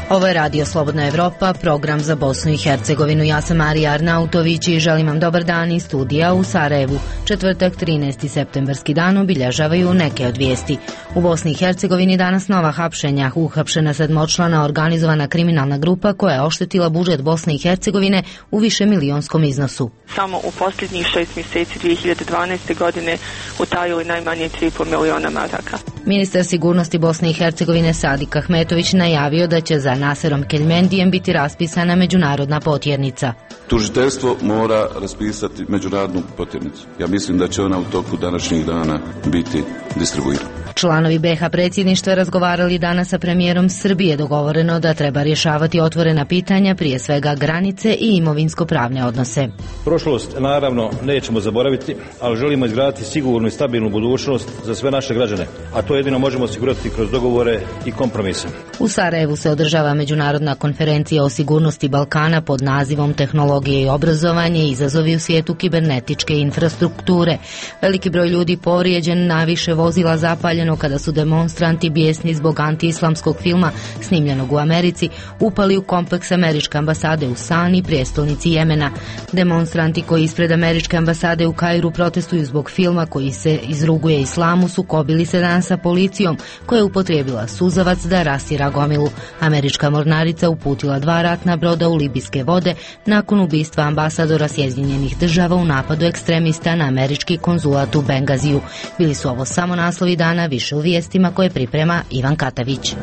Ovo je Radio Slobodna Evropa, program za Bosnu i Hercegovinu. Ja sam Marija Arnautović i želim vam dobar dan iz studija u Sarajevu. Četvrtak, 13. septembarski dan, obilježavaju neke od vijesti. U Bosni i Hercegovini danas nova hapšenja. Uhapšena sedmočlana organizovana kriminalna grupa koja je oštetila budžet Bosne i Hercegovine u višemilijonskom iznosu. Samo u posljednjih 6 mjeseci 2012. godine utajili najmanje 3,5 miliona maraka. Ministar sigurnosti Bosne i Hercegovine Sadik Ahmetović najavio da će za Naserom Keljmendijem biti raspisana međunarodna potjernica. Tužiteljstvo mora raspisati međunarodnu potjernicu. Ja mislim da će ona u toku današnjih dana biti distribuirana. Članovi BiH predsjedništva razgovarali danas sa premijerom Srbije. Dogovoreno da treba rješavati otvorena pitanja, prije svega granice i imovinsko-pravne odnose. Prošlost naravno nećemo zaboraviti, ali želimo izgraditi sigurnu i stabilnu budućnost za sve naše građane, a to jedino možemo osigurati kroz dogovore i kompromise. U Sarajevu se održava međunarodna konferencija o sigurnosti Balkana pod nazivom Tehnologije i obrazovanje, izazovi u svijetu kibernetičke infrastrukture. Veliki broj ljudi povrijeđen, naviše vozila zapaljeno kada su demonstranti bijesni zbog antiislamskog filma snimljenog u Americi upali u kompleks američke ambasade u Sani, prijestolnici Jemena. Demonstranti koji ispred američke ambasade u Kairu protestuju zbog filma koji se izruguje islamu sukobili se danas sa policijom koja je upotrijebila suzavac da rasira gomilu. Američka mornarica uputila 2 ratna broda u libijske vode nakon ubistva ambasadora Sjedinjenih Država u napadu ekstremista na američki konzulat u Bengaziju. Bili su ovo samo naslovi dana, više u vijestima koje priprema Ivan Katavić.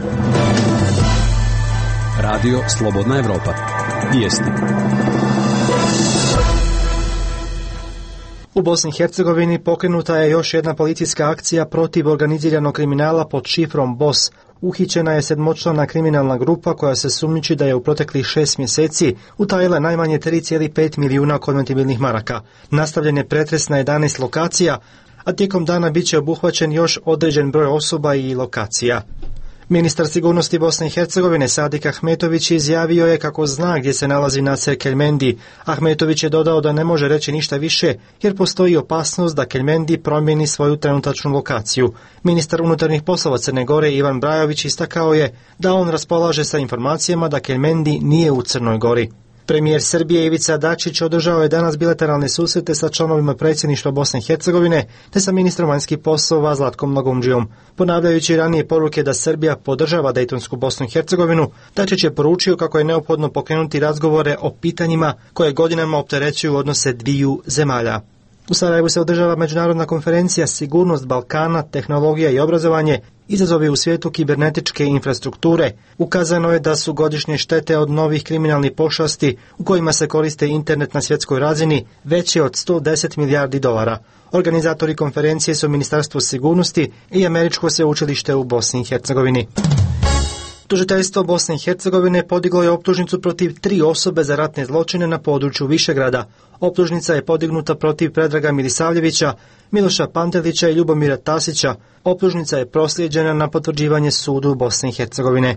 Radio Slobodna Evropa. Vijesti. U Bosni i Hercegovini pokrenuta je još jedna policijska akcija protiv organiziranog kriminala pod šifrom BOS. Uhićena je sedmočlana kriminalna grupa koja se sumnjiči da je u proteklih 6 mjeseci utajila najmanje 3,5 milijuna konvertibilnih maraka. Nastavljen je pretres na 11 lokacija, a tijekom dana bit će obuhvaćen još određen broj osoba i lokacija. Ministar sigurnosti Bosne i Hercegovine Sadik Ahmetović izjavio je kako zna gdje se nalazi Naser Keljmendi. Ahmetović je dodao da ne može reći ništa više jer postoji opasnost da Keljmendi promijeni svoju trenutačnu lokaciju. Ministar unutarnjih poslova Crne Gore Ivan Brajović istakao je da on raspolaže sa informacijama da Keljmendi nije u Crnoj Gori. Premijer Srbije Ivica Dačić održao je danas bilateralne susrete sa članovima predsjedništva Bosne i Hercegovine te sa ministrom vanjskih poslova Zlatkom Lagumdžijom. Ponavljajući ranije poruke da Srbija podržava Dejtonsku Bosnu i Hercegovinu, Dačić je poručio kako je neophodno pokrenuti razgovore o pitanjima koje godinama opterećuju odnose dviju zemalja. U Sarajevu se održava međunarodna konferencija Sigurnost Balkana, tehnologija i obrazovanje, izazovi u svijetu kibernetičke infrastrukture. Ukazano je da su godišnje štete od novih kriminalnih pošasti u kojima se koriste internet na svjetskoj razini veće od 110 milijardi dolara. Organizatori konferencije su Ministarstvo sigurnosti i Američko sveučilište u Bosni i Hercegovini. Tužiteljstvo Bosne i Hercegovine podiglo je optužnicu protiv 3 osobe za ratne zločine na području Višegrada. Optužnica je podignuta protiv Predraga Milisavljevića, Miloša Pantelića i Ljubomira Tasića. Optužnica je proslijeđena na potvrđivanje sudu Bosne i Hercegovine.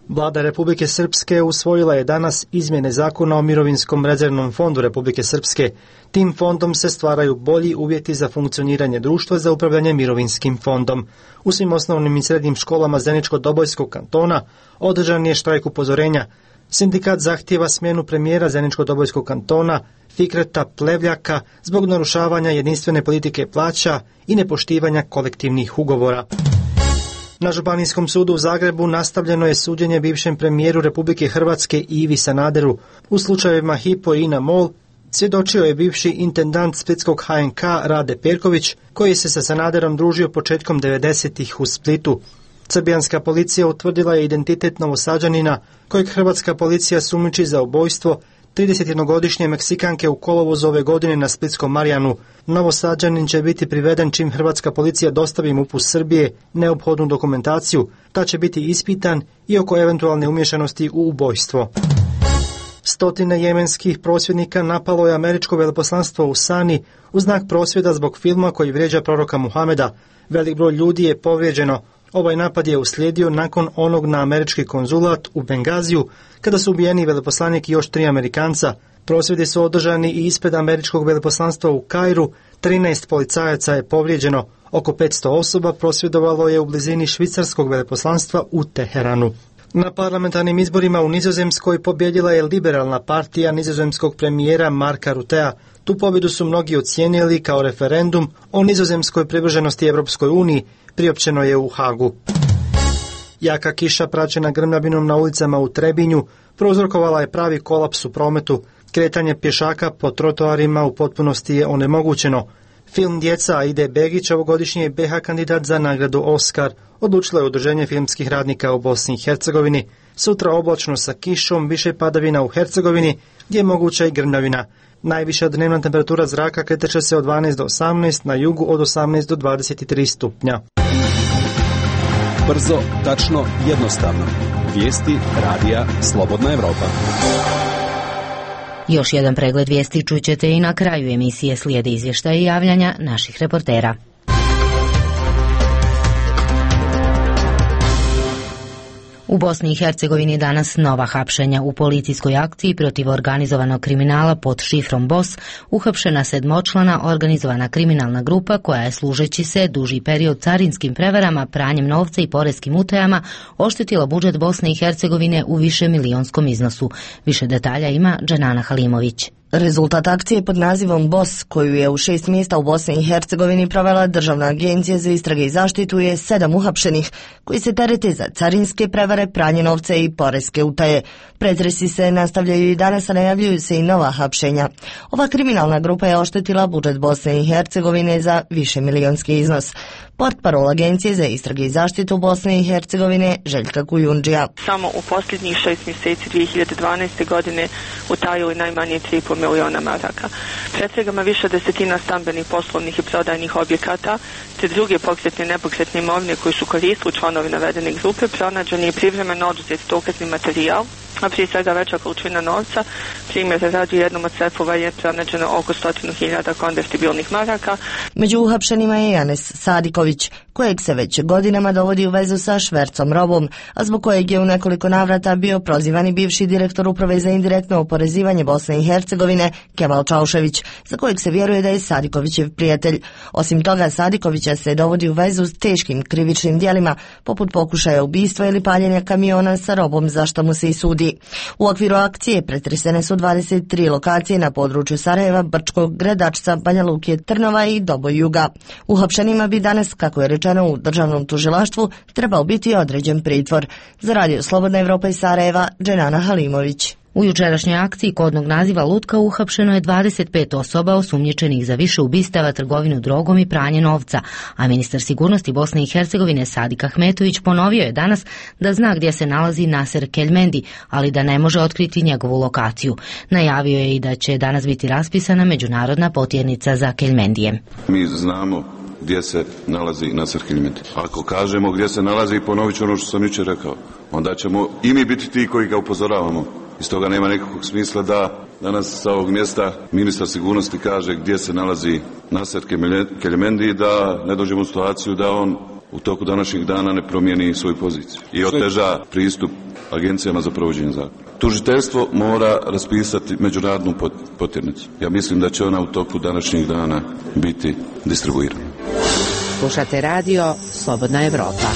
Vlada Republike Srpske usvojila je danas izmjene zakona o mirovinskom rezervnom fondu Republike Srpske. Tim fondom se stvaraju bolji uvjeti za funkcioniranje društva za upravljanje mirovinskim fondom. U svim osnovnim i srednjim školama Zeničko-Dobojskog kantona održan je štrajk upozorenja. Sindikat zahtijeva smjenu premijera Zeničko-Dobojskog kantona Fikreta Plevljaka zbog narušavanja jedinstvene politike plaća i nepoštivanja kolektivnih ugovora. Na Županijskom sudu u Zagrebu nastavljeno je suđenje bivšem premijeru Republike Hrvatske Ivi Sanaderu. U slučajevima Hypo i INA MOL svjedočio je bivši intendant splitskog HNK Rade Perković, koji se sa Sanaderom družio početkom 90-ih u Splitu. Srbijanska policija utvrdila je identitet Novosađanina, kojeg hrvatska policija sumnjiči za ubojstvo 31-godišnje Meksikanke u kolovozu ove godine na Splitskom Marjanu. Novosađanin će biti priveden čim hrvatska policija dostavi MUP-u Srbije neophodnu dokumentaciju, ta će biti ispitan i oko eventualne umješanosti u ubojstvo. Stotine jemenskih prosvjednika napalo je američko veleposlanstvo u Sani u znak prosvjeda zbog filma koji vrijeđa proroka Muhameda. Velik broj ljudi je povrijeđeno. Ovaj napad je uslijedio nakon onog na američki konzulat u Bengaziju, kada su ubijeni veleposlanik i još 3 Amerikanca. Prosvjedi su održani i ispred američkog veleposlanstva u Kairu, 13 policajaca je povrijeđeno, oko 500 osoba prosvjedovalo je u blizini švicarskog veleposlanstva u Teheranu. Na parlamentarnim izborima u Nizozemskoj pobjedila je liberalna partija nizozemskog premijera Marka Rutea. Tu pobjedu su mnogi ocijenili kao referendum o nizozemskoj privrženosti Europskoj uniji, priopćeno je u Hagu. Jaka kiša praćena grmljavinom na ulicama u Trebinju prouzrokovala je pravi kolaps u prometu. Kretanje pješaka po trotoarima u potpunosti je onemogućeno. Film Djeca Aide Begić, ovogodišnji je BiH kandidat za nagradu Oskar, odlučilo je Udruženje filmskih radnika u Bosni i Hercegovini. Sutra oblačno sa kišom, više padavina u Hercegovini, gdje je moguća i grmljavina. Najviša dnevna temperatura zraka kreće se od 12 do 18, na jugu od 18 do 23 stupnja. Brzo, tačno, jednostavno. Vijesti radija Slobodna Evropa. Još jedan pregled vijesti čućete i na kraju emisije, slijede izvještaje i javljanja naših reportera. U Bosni i Hercegovini danas nova hapšenja. U policijskoj akciji protiv organizovanog kriminala pod šifrom BOS uhapšena 7-člana organizovana kriminalna grupa koja je, služeći se duži period carinskim prevarama, pranjem novca i poreskim utajama, oštetila budžet Bosne i Hercegovine u višemilijonskom iznosu. Više detalja ima Dženana Halimović. Rezultat akcije pod nazivom BOS, koju je u 6 mjesta u Bosni i Hercegovini provela Državna agencija za istrage i zaštitu, je 7 uhapšenih koji se terete za carinske prevare, pranje novca i poreske utaje. Pretresi se nastavljaju i danas, a najavljuju se i nova hapšenja. Ova kriminalna grupa je oštetila budžet Bosne i Hercegovine za višemilijonski iznos. Portparol Agencije za istrage i zaštitu Bosne i Hercegovine Željka Kujundžija. Samo u posljednjih 6 mjeseci 2012. godine utajili najmanje 3,5 miliona maraka. Pretragama više desetina stambenih, poslovnih i prodajnih objekata te druge pokretne i nepokretne imovine koji su koristili članovi navedene grupe, pronađen je privremeno oduzet dokazni materijal, a prije svega veća količina novca. Primjer radi, u jednom od sefova je pronađeno oko 100.000 konvertibilnih maraka. Među uhapšenima je Janes Sadiković, kojeg se već godinama dovodi u vezu sa švercom robom, a zbog kojeg je u nekoliko navrata bio prozivan i bivši direktor Uprave za indirektno oporezivanje Bosne i Hercegovine Kemal Čaušević, za kojeg se vjeruje da je Sadikovićev prijatelj. Osim toga, Sadikovića se dovodi u vezu s teškim krivičnim djelima, poput pokušaja ubistva ili paljenja kamiona sa robom, za što mu se i sudi. U okviru akcije pretresene su 23 lokacije na području Sarajeva, Brčkog, Gredačca, Banja Luke, Trnova i Doboj Juga. Uhapšenima bi danas, kako je rečeno u državnom tužilaštvu, trebao biti određen pritvor. Za radio Slobodna Evropa iz Sarajeva, Dženana Halimović. U jučerašnjoj akciji kodnog naziva Lutka uhapšeno je 25 osoba osumnjičenih za više ubistava, trgovinu drogom i pranje novca, a ministar sigurnosti Bosne i Hercegovine Sadik Ahmetović ponovio je danas da zna gdje se nalazi Naser Keljmendi, ali da ne može otkriti njegovu lokaciju. Najavio je i da će danas biti raspisana međunarodna potjernica za Keljmendije. Mi znamo gdje se nalazi Naser Keljmendi. Ako kažemo gdje se nalazi, ponovit ću ono što sam jučer rekao, onda ćemo i mi biti ti koji ga upozoravamo. Iz toga nema nekakvog smisla da danas sa ovog mjesta ministar sigurnosti kaže gdje se nalazi Naser Keljmendi, da ne dođemo u situaciju da on u toku današnjeg dana ne promijeni svoju poziciju i oteža pristup agencijama za provođenje zakona. Tužiteljstvo mora raspisati međunarodnu potjernicu. Ja mislim da će ona u toku današnjeg dana biti distribuirana. Slušate radio Slobodna Evropa.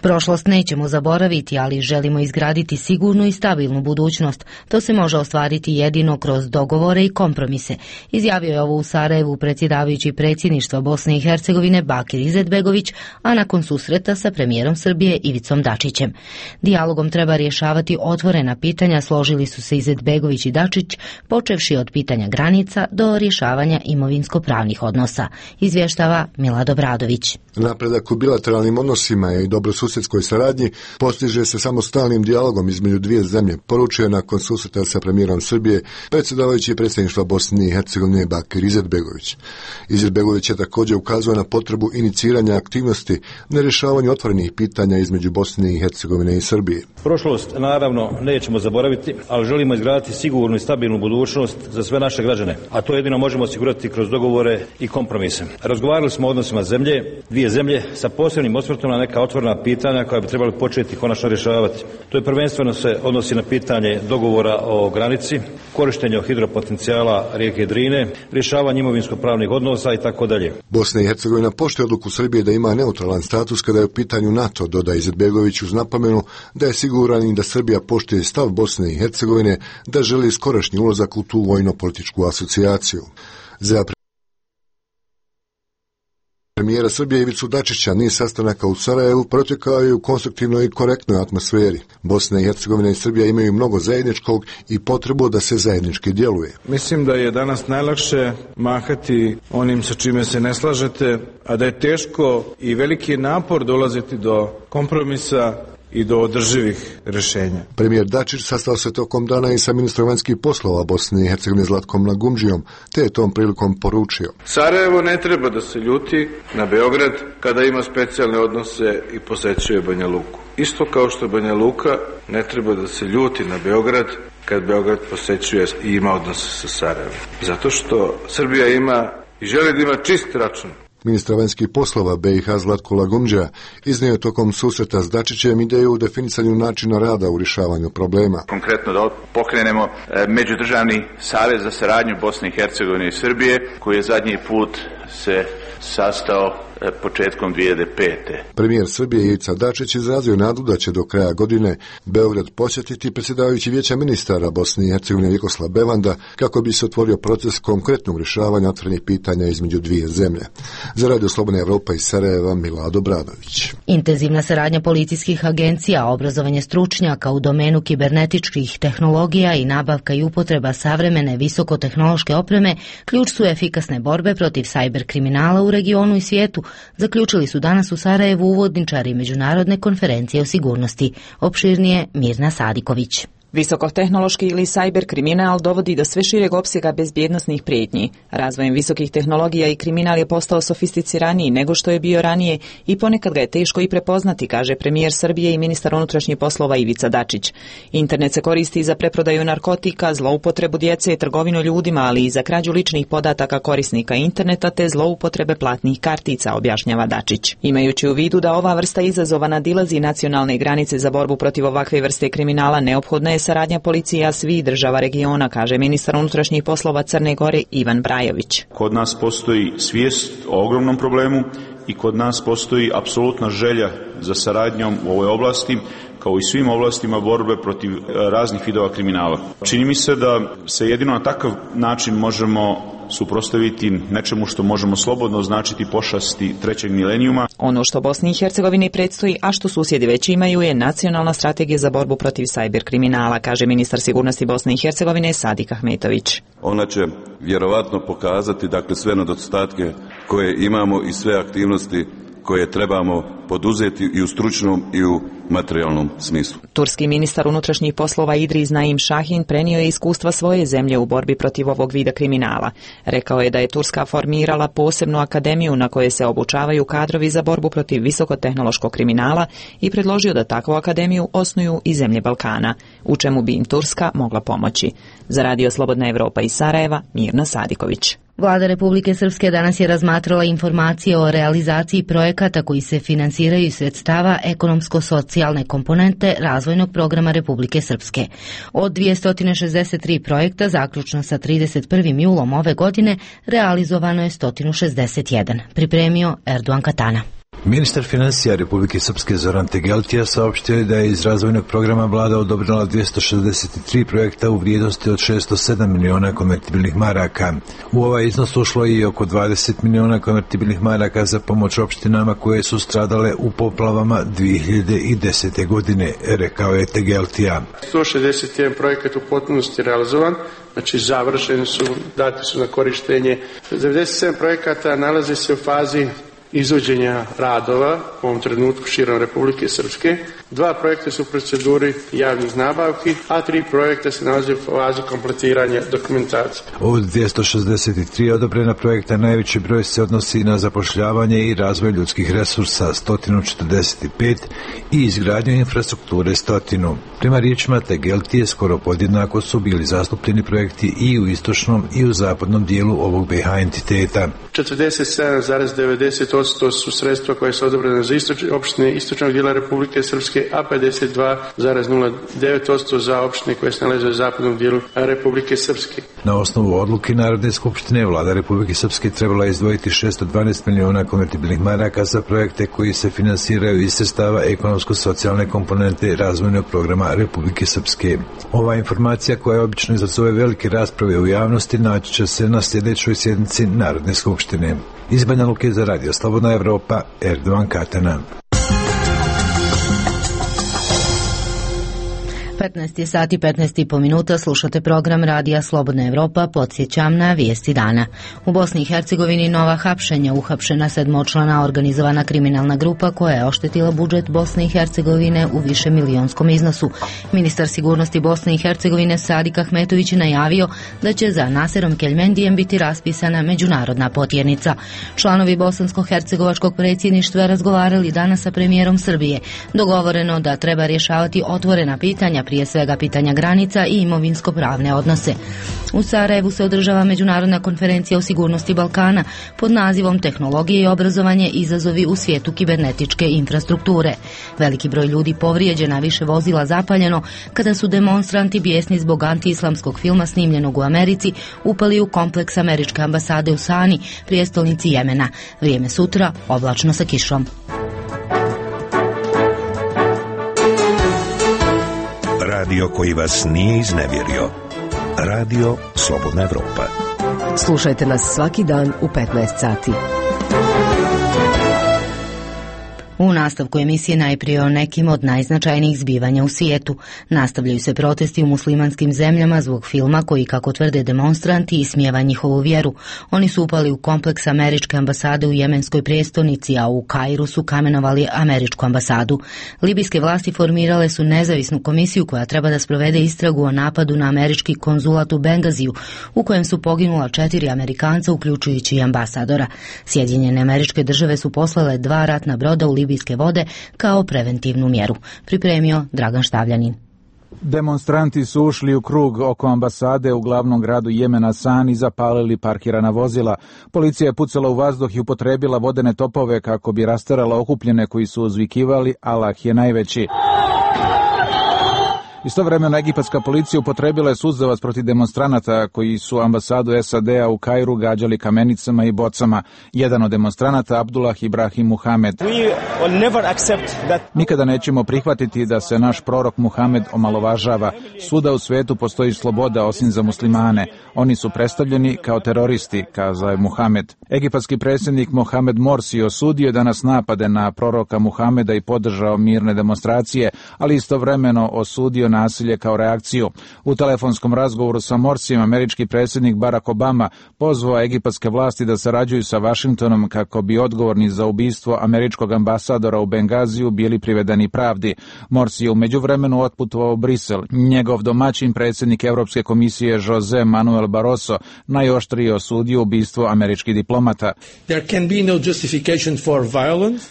Prošlost nećemo zaboraviti, ali želimo izgraditi sigurnu i stabilnu budućnost. To se može ostvariti jedino kroz dogovore i kompromise. Izjavio je ovo u Sarajevu predsjedavajući predsjedništva Bosne i Hercegovine Bakir Izetbegović, a nakon susreta sa premijerom Srbije Ivicom Dačićem. Dijalogom treba rješavati otvorena pitanja, složili su se Izetbegović i Dačić, počevši od pitanja granica do rješavanja imovinsko-pravnih odnosa. Izvještava Milad Obradović. Napredak u bilateralnim odnosima i dobrosusjedskoj saradnji postiže se samo stalnim dijalogom između dvije zemlje, poručio nakon susreta sa premijerom Srbije predsjedavajući predsjedništva Bosne i Hercegovine Bakir Izetbegović. Izetbegović je također ukazao na potrebu iniciranja aktivnosti na rješavanju otvorenih pitanja između Bosne i Hercegovine i Srbije. Prošlost naravno nećemo zaboraviti, ali želimo izgraditi sigurnu i stabilnu budućnost za sve naše građane, a to jedino možemo osigurati kroz dogovore i kompromise. Razgovarali smo o odnosima dvije zemlje sa posebnim osvrtom na neka otvorena pitanja pitanja koja bi trebali početi konačno rješavati. To je prvenstveno se odnosi na pitanje dogovora o granici, korištenje hidropotencijala rijeke Drine, rješavanje imovinsko-pravnih odnosa i tako dalje. Bosna i Hercegovina poštuje odluku Srbije da ima neutralan status kada je u pitanju NATO, dodaje Izetbegović uz napomenu da je siguran i da Srbija poštuje stav Bosne i Hercegovine da želi skorašnji ulazak u tu vojno-političku asocijaciju. Za premijera Srbije Ivicu Dačića niz sastanaka u Sarajevu protekao je u konstruktivnoj i korektnoj atmosferi. Bosna i Hercegovina i Srbija imaju mnogo zajedničkog i potrebu da se zajednički djeluje. Mislim da je danas najlakše mahati onim sa čime se ne slažete, a da je teško i veliki napor dolaziti do kompromisa i do održivih rješenja. Premijer Dačić sastao se tokom dana i sa ministrom vanjskih poslova Bosne i Hercegovine Zlatkom Lagumdžijom, te je tom prilikom poručio: Sarajevo ne treba da se ljuti na Beograd kada ima specijalne odnose i posećuje Banja Luku. Isto kao što Banja Luka ne treba da se ljuti na Beograd kad Beograd posećuje i ima odnose sa Sarajevom. Zato što Srbija ima i želi da ima čist račun. Ministar vanjskih poslova BiH Zlatko Lagumdžija iznio je tokom susreta s Dačićem ideju u definisanju načina rada u rješavanju problema. Konkretno da pokrenemo međudržavni savez za saradnju Bosne i Hercegovine i Srbije, koji je zadnji put se sastao početkom 2005. Premijer Srbije Ivica Dačić izrazio nadu da će do kraja godine Beograd posjetiti predsjedavajući Vijeća ministara Bosne i Hercegovine Vjekoslav Bevanda kako bi se otvorio proces konkretnog rješavanja otvorenih pitanja između dvije zemlje. Za Radio Slobodna Evropa iz Sarajeva, Milado Bradović. Intenzivna saradnja policijskih agencija, obrazovanje stručnjaka u domenu kibernetičkih tehnologija i nabavka i upotreba savremene visokotehnološke opreme ključ su efikasne borbe protiv sajber kriminala u regionu i svijetu, zaključili su danas u Sarajevu uvodničari Međunarodne konferencije o sigurnosti. Opširnije Mirna Sadiković. Visokotehnološki ili cyber kriminal dovodi do sve šireg opsega bezbjednosnih prijetnji. Razvojem visokih tehnologija i kriminal je postao sofisticiraniji nego što je bio ranije i ponekad ga je teško i prepoznati, kaže premijer Srbije i ministar unutrašnjih poslova Ivica Dačić. Internet se koristi za preprodaju narkotika, zloupotrebu djece, trgovinu ljudima, ali i za krađu ličnih podataka korisnika interneta te zloupotrebe platnih kartica, objašnjava Dačić. Imajući u vidu da ova vrsta izazova nadilazi nacionalne granice za borbu protiv ovakve vrste kriminala, neophodna je saradnja policija svih država regiona, kaže ministar unutrašnjih poslova Crne Gore Ivan Brajović. Kod nas postoji svijest o ogromnom problemu i kod nas postoji apsolutna želja za saradnjom u ovoj oblasti, kao i svim oblastima borbe protiv raznih vidova kriminala. Čini mi se da se jedino na takav način možemo suprotstaviti nečemu što možemo slobodno označiti pošasti trećeg milenijuma. Ono što Bosni i Hercegovini predstoji, a što susjedi već imaju, je nacionalna strategija za borbu protiv sajber kriminala, kaže ministar sigurnosti Bosne i Hercegovine Sadik Ahmetović. Ona će vjerovatno pokazati sve nedostatke koje imamo i sve aktivnosti koje trebamo poduzeti i u stručnom i u materijalnom smislu. Turski ministar unutrašnjih poslova Idris Naim Šahin prenio je iskustva svoje zemlje u borbi protiv ovog vida kriminala. Rekao je da je Turska formirala posebnu akademiju na kojoj se obučavaju kadrovi za borbu protiv visokotehnološkog kriminala i predložio da takvu akademiju osnuju i zemlje Balkana, u čemu bi im Turska mogla pomoći. Za Radio Slobodna Evropa iz Sarajeva, Mirna Sadiković. Vlada Republike Srpske danas je razmatrala informacije o realizaciji projekata koji se finansiraju iz sredstava ekonomsko-socijalne komponente razvojnog programa Republike Srpske. Od 263 projekta, zaključno sa 31. julom ove godine, realizovano je 161. Pripremio Erdogan Katana. Ministar financija Republike Srpske Zoran Tegeltija saopštio je da je iz razvojnog programa vlada odobrila 263 projekta u vrijednosti od 607 miliona konvertibilnih maraka. U ovaj iznos ušlo je i oko 20 miliona konvertibilnih maraka za pomoć opštinama koje su stradale u poplavama 2010. godine, rekao je Tegeltija. 161 projekat u potpunosti realizovan, znači završeni su, dati su na korištenje. 97 projekata nalaze se u fazi izvođenja radova u ovom trenutku širom Republike Srpske. 2 projekta su u proceduri javnih nabavki, a 3 projekta se nalaze u fazi kompletiranja dokumentacije. Od 263 odobrena projekta najveći broj se odnosi na zapošljavanje i razvoj ljudskih resursa 145 i izgradnju infrastrukture 100. Prema riječima Tegeltije skoro podjednako su bili zastupljeni projekti i u istočnom i u zapadnom dijelu ovog BiH entiteta. 47,90% su sredstva koje su odobrene za opštine istočnog dijela Republike Srpske, a 52,09% za opštine koje se nalaze u zapadnom dijelu Republike Srpske. Na osnovu odluke Narodne skupštine vlada Republike Srpske trebala izdvojiti 612 miliona konvertibilnih maraka za projekte koji se finansiraju iz sredstava ekonomsko-socijalne komponente razvojnog programa Republike Srpske. Ova informacija, koja obično izazove velike rasprave u javnosti, naći će se na sljedećoj sjednici Narodne skupštine. Iz Banja Luke za Radio Slobodna Evropa, Erdovan Katana. 15 sati 15,5 minuta, slušate program Radija Slobodna Evropa. Podsjećam na vijesti dana. U Bosni i Hercegovini nova hapšenja. Uhapšena 7-člana organizovana kriminalna grupa koja je oštetila budžet Bosne i Hercegovine u višemilijonskom iznosu. Ministar sigurnosti Bosne i Hercegovine Sadik Ahmetović je najavio da će za Naserom Keljmendijem biti raspisana međunarodna potjernica. Članovi bosansko-hercegovačkog predsjedništva razgovarali danas sa premijerom Srbije. Dogovoreno da treba rješavati otvorena pitanja, prije svega pitanja granica i imovinsko-pravne odnose. U Sarajevu se održava međunarodna konferencija o sigurnosti Balkana pod nazivom Tehnologije i obrazovanje, izazovi u svijetu kibernetičke infrastrukture. Veliki broj ljudi povrijeđen, a više vozila zapaljeno kada su demonstranti bijesni zbog antiislamskog filma snimljenog u Americi upali u kompleks američke ambasade u Sani, prijestolnici Jemena. Vrijeme sutra oblačno sa kišom. Radio koji vas nije iznevjerio. Radio Slobodna Evropa. Slušajte nas svaki dan u 15 sati. U nastavku emisije najprije o nekim od najznačajnijih zbivanja u svijetu. Nastavljaju se protesti u muslimanskim zemljama zbog filma koji, kako tvrde demonstranti, ismijeva njihovu vjeru. Oni su upali u kompleks američke ambasade u jemenskoj prijestolnici, a u Kairu su kamenovali američku ambasadu. Libijske vlasti formirale su nezavisnu komisiju koja treba da sprovede istragu o napadu na američki konzulat u Bengaziju, u kojem su poginula 4 Amerikanca, uključujući i ambasadora. Sjedinjene Američke Države su poslale 2 ratna broda u libijske vode kao preventivnu mjeru. Pripremio Dragan Štavljanin. Demonstranti su ušli u krug oko ambasade u glavnom gradu Jemena Sani i zapalili parkirana vozila. Policija je pucala u vazduh i upotrebila vodene topove kako bi rasterala okupljene koji su uzvikivali Allah je najveći. Istovremeno egipatska policija upotrebila je suzavac protiv demonstranata koji su ambasadu SAD-a u Kairu gađali kamenicama i bocama. Jedan od demonstranata, Abdullah Ibrahim Muhamed: nikada nećemo prihvatiti da se naš prorok Muhamed omalovažava. Svuda u svijetu postoji sloboda osim za muslimane. Oni su predstavljeni kao teroristi, kazao je Muhamed. Egipatski predsjednik Mohamed Morsi osudio danas napade na proroka Muhameda i podržao mirne demonstracije, ali istovremeno osudio nasilje kao reakciju. U telefonskom razgovoru sa Morsijem američki predsjednik Barack Obama pozvao egipatske vlasti da sarađuju sa Washingtonom kako bi odgovorni za ubistvo američkog ambasadora u Bengaziju bili privedeni pravdi. Morsi je u međuvremenu otputovao u Brisel. Njegov domaćin, predsjednik Europske komisije Jose Manuel Barroso, najoštrije osudio ubistvo američkih diplomata.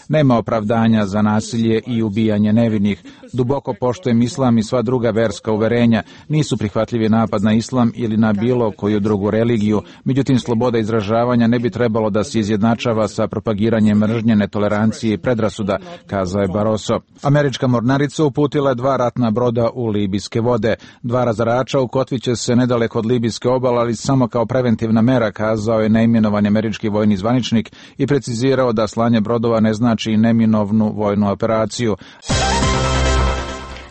Nema opravdanja za nasilje i ubijanje nevinih. Duboko poštujem islam i sva druga verska uverenja. Nisu prihvatljivi napad na islam ili na bilo koju drugu religiju. Međutim, sloboda izražavanja ne bi trebalo da se izjednačava sa propagiranjem mržnje, netolerancije i predrasuda, kazao je Barroso. Američka mornarica uputila je 2 ratna broda u libijske vode. 2 razarača ukotviće se nedaleko od libijske obale, ali samo kao preventivna mera, kazao je neimenovani američki vojni zvaničnik i precizirao da slanje brodova ne znači neminovnu vojnu operaciju.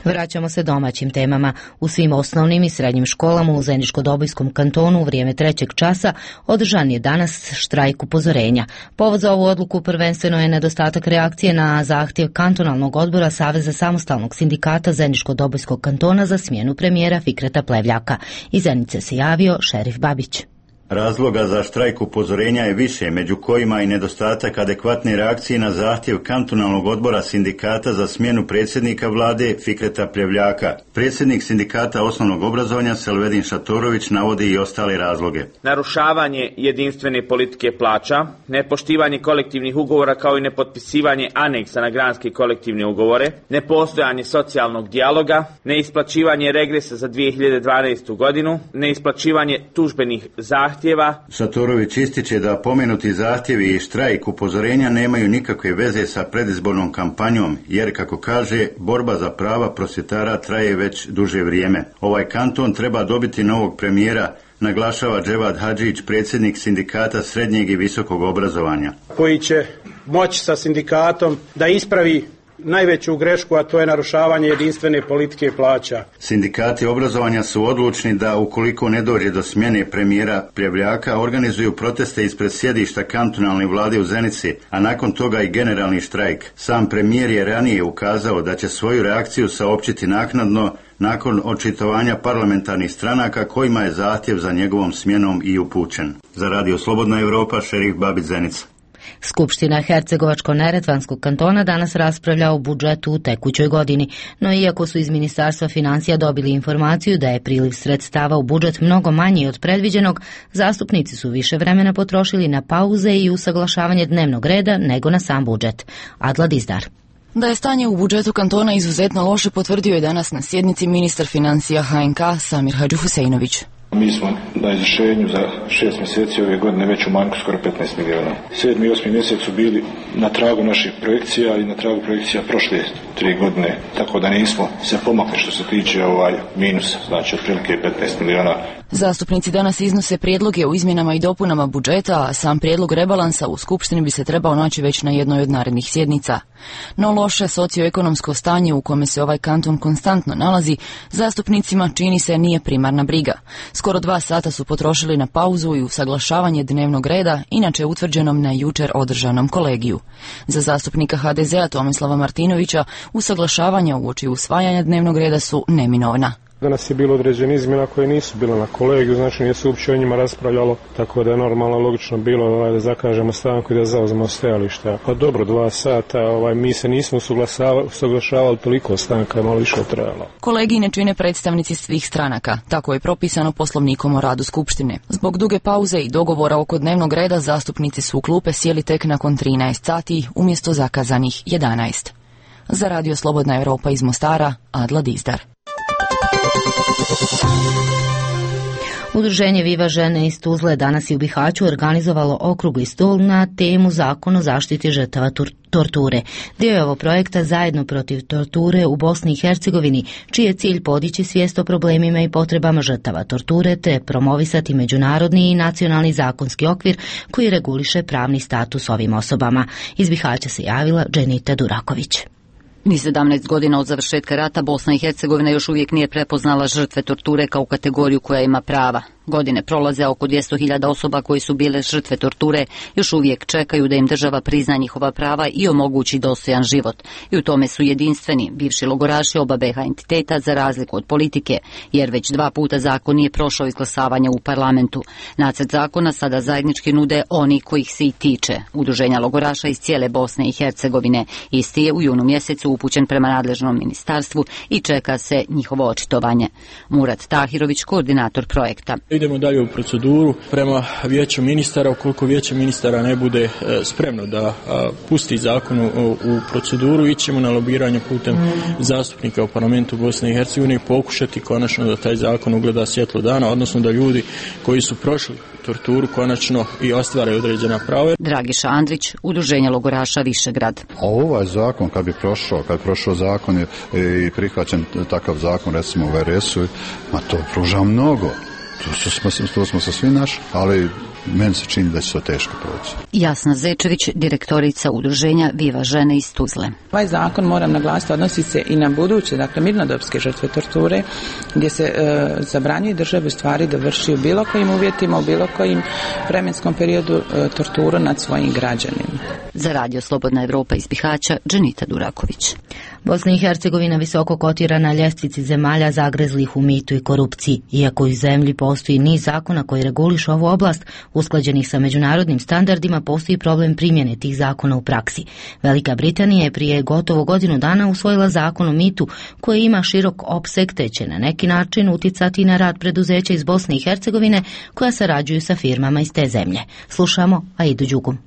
Vraćamo se domaćim temama. U svim osnovnim i srednjim školama u Zeničko-Dobojskom kantonu u vrijeme 3. časa održan je danas štrajk upozorenja. Povod za ovu odluku prvenstveno je nedostatak reakcije na zahtjev kantonalnog odbora Saveza samostalnog sindikata Zeničko-Dobojskog kantona za smjenu premijera Fikreta Plevljaka. Iz Zenice se javio Šerif Babić. Razloga za štrajk upozorenja je više, među kojima i nedostatak adekvatne reakcije na zahtjev kantonalnog odbora sindikata za smjenu predsjednika vlade Fikreta Pljevljaka. Predsjednik sindikata osnovnog obrazovanja Selvedin Šatorović navodi i ostale razloge. Narušavanje jedinstvene politike plaća, nepoštivanje kolektivnih ugovora kao i nepotpisivanje aneksa na granske kolektivne ugovore, nepostojanje socijalnog dijaloga, neisplaćivanje regresa za 2012. godinu, neisplaćivanje tužbenih zahtjeva. Šatorović ističe da pomenuti zahtjevi i štrajk upozorenja nemaju nikakve veze sa predizbornom kampanjom, jer, kako kaže, borba za prava prosvjetara traje već duže vrijeme. Ovaj kanton treba dobiti novog premijera, naglašava Dževad Hadžić, predsjednik sindikata srednjeg i visokog obrazovanja. Koji će moći sa sindikatom da ispravi najveću grešku, a to je narušavanje jedinstvene politike plaća. Sindikati obrazovanja su odlučni da, ukoliko ne dođe do smjene premijera Pljevljaka, organizuju proteste ispred sjedišta kantonalne vlade u Zenici, a nakon toga i generalni štrajk. Sam premijer je ranije ukazao da će svoju reakciju saopćiti naknadno, nakon očitovanja parlamentarnih stranaka kojima je zahtjev za njegovom smjenom i upućen. Za Radio Slobodna Europa, Šerif Babić, Zenica. Skupština Hercegovačko-Neretvanskog kantona danas raspravlja o budžetu u tekućoj godini, no iako su iz Ministarstva financija dobili informaciju da je priliv sredstava u budžet mnogo manji od predviđenog, zastupnici su više vremena potrošili na pauze i usaglašavanje dnevnog reda nego na sam budžet. Adla Dizdar. Da je stanje u budžetu kantona izuzetno loše potvrdio je danas na sjednici ministar financija HNK Samir Hadžihuseinović. Mi smo na izvršenju za 6 mjeseci ove godine već u manjku skoro 15 milijuna. 7. i 8. mjesec su bili na tragu naših projekcija i na tragu projekcija prošle 3 godine, tako da nismo se pomakli što se tiče minusa, znači otprilike 15 milijuna. Zastupnici danas iznose prijedloge o izmjenama i dopunama budžeta, a sam prijedlog rebalansa u Skupštini bi se trebao naći već na jednoj od narednih sjednica. No loše socioekonomsko stanje u kome se ovaj kanton konstantno nalazi, zastupnicima čini se nije primarna briga. Skoro 2 sata su potrošili na pauzu i usaglašavanje dnevnog reda, inače utvrđenom na jučer održanom kolegiju. Za zastupnika HDZ-a Tomislava Martinovića usaglašavanja uoči usvajanja dnevnog reda su neminovna. Danas je bilo određene izmjena koje nisu bile na kolegiju, znači nije se uopće o njima raspravljalo, tako da je normalno logično bilo da zakažemo stanku i da zauzmemo stajališta. Pa dobro, 2 sata, mi se nismo usaglašavali, toliko stanka je malo više trajalo. Kolegiji ne čine predstavnici svih stranaka, tako je propisano Poslovnikom o radu Skupštine. Zbog duge pauze i dogovora oko dnevnog reda zastupnici su u klupe sjeli tek nakon 13 sati umjesto zakazanih 11. Za Radio Slobodna Europa iz Mostara, Adla Dizdar. Udruženje Viva žene iz Tuzle danas je u Bihaću organizovalo okrugli stol na temu Zakon o zaštiti žrtava torture. Dio je ovo projekta Zajedno protiv torture u Bosni i Hercegovini, čiji je cilj podići svijest o problemima i potrebama žrtava torture te promovisati međunarodni i nacionalni zakonski okvir koji reguliše pravni status ovim osobama. Iz Bihaća se javila Dženita Duraković. Ni 17 godina od završetka rata Bosna i Hercegovina još uvijek nije prepoznala žrtve torture kao kategoriju koja ima prava. Godine prolaze, oko 200.000 osoba koji su bile žrtve torture još uvijek čekaju da im država prizna njihova prava i omogući dostojan život. I u tome su jedinstveni bivši logoraši oba BiH entiteta za razliku od politike, jer već 2 puta zakon nije prošao izglasavanje u parlamentu. Nacrt zakona sada zajednički nude oni kojih se i tiče, udruženja logoraša iz cijele Bosne i Hercegovine. Isti je u junu mjesecu upućen prema nadležnom ministarstvu i čeka se njihovo očitovanje. Murat Tahirović, koordinator projekta. Idemo dalje u proceduru prema vijeću ministara. Ukoliko vijeće ministara ne bude spremno da pusti zakon u proceduru, ićemo na lobiranje putem zastupnika u parlamentu Bosne i Hercegovine i pokušati konačno da taj zakon ugleda svjetlo dana, odnosno da ljudi koji su prošli torturu konačno i ostvaraju određena prava. Dragiša Andrić, udruženje logoraša Višegrad. Ovaj zakon kad bi prošao zakon i prihvaćen takav zakon recimo u RS-u, to pruža mnogo. To smo sa svi naši, ali meni se čini da će to teško proći. Jasna Zečević, direktorica udruženja Viva žene iz Tuzle. Ovaj zakon, moram naglasiti, odnosi se i na buduće, dakle mirnodopske žrtve torture, gdje se zabranjuje državi u stvari da vrši u bilo kojim uvjetima, u bilo kojim vremenskom periodu torturu nad svojim građanima. Za Radio Slobodna Europa iz Bihaća, Dženita Duraković. Bosna i Hercegovina visoko kotira na ljestvici zemalja zagrezlih u mitu i korupciji. Iako u zemlji postoji niz zakona koji regulišu ovu oblast, usklađenih sa međunarodnim standardima, postoji problem primjene tih zakona u praksi. Velika Britanija je prije gotovo godinu dana usvojila zakon o mitu koji ima širok opseg te će na neki način uticati na rad preduzeća iz Bosne i Hercegovine koja sarađuju sa firmama iz te zemlje. Slušamo Aidu Đugum.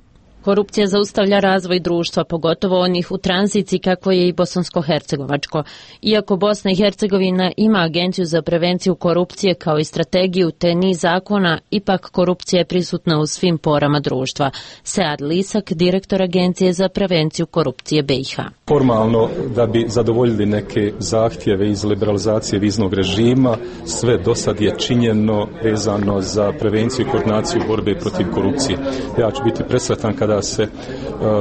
Korupcija zaustavlja razvoj društva, pogotovo onih u tranziciji kako je i bosansko-hercegovačko. Iako Bosna i Hercegovina ima agenciju za prevenciju korupcije kao i strategiju te niz zakona, ipak korupcija je prisutna u svim porama društva. Sead Lisak, direktor Agencije za prevenciju korupcije BiH. Formalno, da bi zadovoljili neke zahtjeve iz liberalizacije viznog režima, sve do sad je činjeno vezano za prevenciju i koordinaciju borbe protiv korupcije. Ja ću biti presretan kada se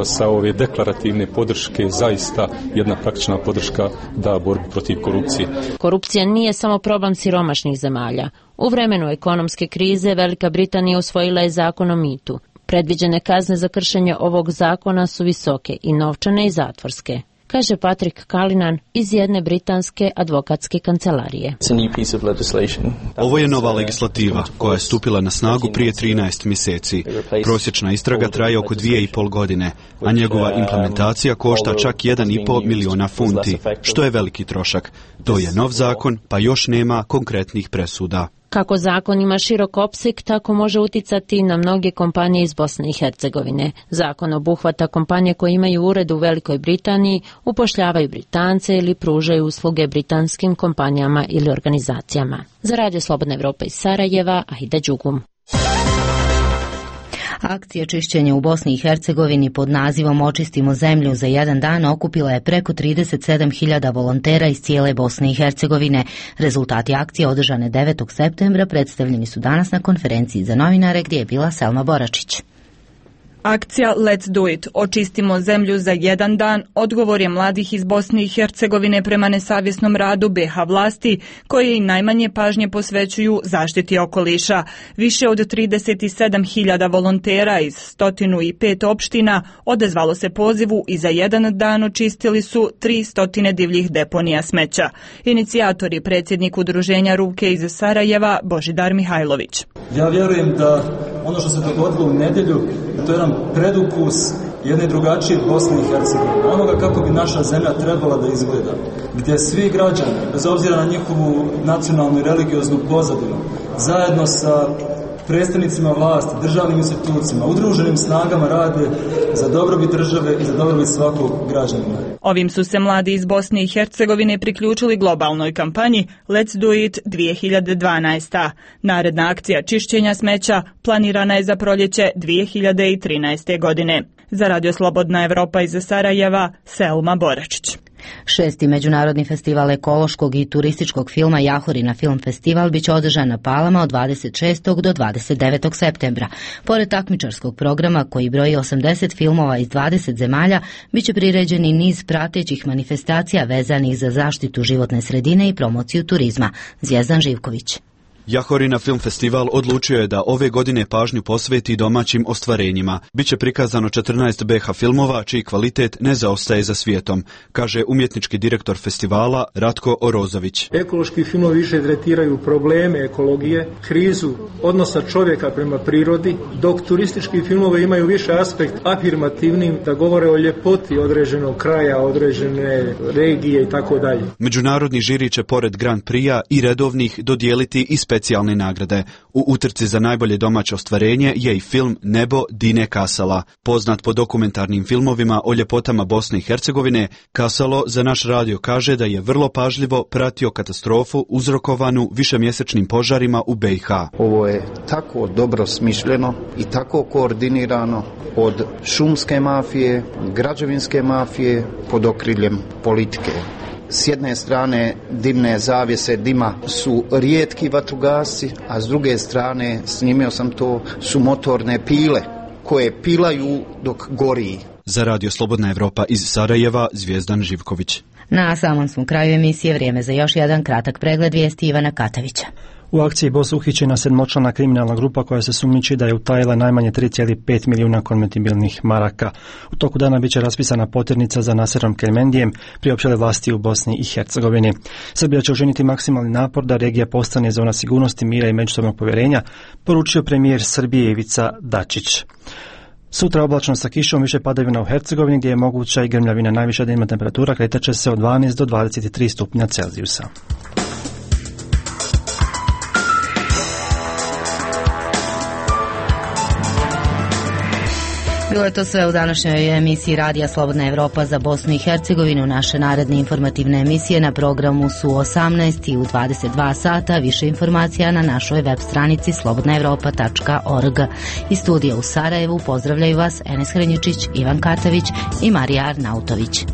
sa ove deklarativne podrške zaista jedna praktična podrška da borbi protiv korupcije. Korupcija nije samo problem siromašnih zemalja. U vremenu ekonomske krize Velika Britanija usvojila je zakon o mitu. Predviđene kazne za kršenje ovog zakona su visoke i novčane i zatvorske, kaže Patrick Cullinan iz jedne britanske advokatske kancelarije. Ovo je nova legislativa koja je stupila na snagu prije 13 mjeseci. Prosječna istraga traje oko 2,5 godine, a njegova implementacija košta čak 1,5 miliona funti, što je veliki trošak. To je nov zakon, pa još nema konkretnih presuda. Kako zakon ima širok opseg, tako može uticati na mnoge kompanije iz Bosne i Hercegovine. Zakon obuhvata kompanije koje imaju ured u Velikoj Britaniji, upošljavaju Britance ili pružaju usluge britanskim kompanijama ili organizacijama. Za Radio Slobodna Evropa iz Sarajeva, Aida Đugum. Akcija čišćenja u Bosni i Hercegovini pod nazivom Očistimo zemlju za jedan dan okupila je preko 37.000 volontera iz cijele Bosne i Hercegovine. Rezultati akcije održane 9. septembra predstavljeni su danas na konferenciji za novinare gdje je bila Selma Boračić. Akcija Let's Do It, očistimo zemlju za jedan dan, odgovor je mladih iz Bosne i Hercegovine prema nesavjesnom radu BiH vlasti, koje i najmanje pažnje posvećuju zaštiti okoliša. Više od 37.000 volontera iz 105 opština odezvalo se pozivu i za jedan dan očistili su 300 divljih deponija smeća. Inicijator je predsjednik udruženja Ruke iz Sarajeva, Božidar Mihajlović. Ja vjerujem da ono što se dogodilo u nedjelju, to je jedan predukus jedne drugačije Bosne i Hercegovine, onoga kako bi naša zemlja trebala da izgleda, gdje svi građani, bez obzira na njihovu nacionalnu i religioznu pozadinu, zajedno sa predstavnicima vlasti, državnim institucijama, udruženim snagama rade za dobrobit države i za dobrobit svakog građanina. Ovim su se mladi iz Bosne i Hercegovine priključili globalnoj kampanji Let's Do It 2012. Naredna akcija čišćenja smeća planirana je za proljeće 2013. godine. Za Radio Slobodna Evropa iz Sarajeva, Selma Boračić. 6. međunarodni festival ekološkog i turističkog filma Jahorina Film Festival biće održan na Palama od 26. do 29. septembra. Pored takmičarskog programa koji broji 80 filmova iz 20 zemalja, biće priređeni niz pratećih manifestacija vezanih za zaštitu životne sredine i promociju turizma. Zvjezdan Živković. Jahorina Film Festival odlučio je da ove godine pažnju posveti domaćim ostvarenjima. Biće prikazano 14 BiH filmova čiji kvalitet ne zaostaje za svijetom, kaže umjetnički direktor festivala Ratko Orozović. Ekološki filmovi više tretiraju probleme ekologije, krizu odnosa čovjeka prema prirodi, dok turistički filmovi imaju više aspekt afirmativnim, da govore o ljepoti određenog kraja, određene regije i tako dalje. Međunarodni žiri će pored Grand Prix-a i redovnih dodijeliti i specijalne nagrade. U utrci za najbolje domaće ostvarenje je i film Nebo Dine Kasala. Poznat po dokumentarnim filmovima o ljepotama Bosne i Hercegovine, Kasalo za naš radio kaže da je vrlo pažljivo pratio katastrofu uzrokovanu višemjesečnim požarima u BiH. Ovo je tako dobro smišljeno i tako koordinirano od šumske mafije, građevinske mafije pod okriljem politike. S jedne strane dimne zavjese dima su rijetki vatrogasci, a s druge strane, snimio sam to, su motorne pile koje pilaju dok gori. Za Radio Slobodna Evropa iz Sarajeva, Zvjezdan Živković. Na samom smo kraju emisije, vrijeme za još jedan kratak pregled vijesti Ivana Katavića. U akciji BOS uhićena 7-člana kriminalna grupa koja se sumnjiči da je utajila najmanje 3,5 milijuna konvertibilnih maraka. U toku dana biće raspisana poternica za Naserom Kermendijem, priopćile vlasti u Bosni i Hercegovini. Srbija će učiniti maksimalni napor da regija postane zona sigurnosti, mira i međusobnog povjerenja, poručio premijer Srbije Ivica Dačić. Sutra oblačno sa kišom, više padavina u Hercegovini gdje je moguća i grmljavina. Najviša dnevna temperatura kretat će se od 12 do 23 stupnja Celzijusa. Bilo je to sve u današnjoj emisiji Radija Slobodna Evropa za Bosnu i Hercegovinu. Naše naredne informativne emisije na programu su 18 i u 22 sata. Više informacija na našoj web stranici slobodnaevropa.org. Iz studija u Sarajevu pozdravljaju vas Enes Hrenjičić, Ivan Katavić i Marija Arnautović.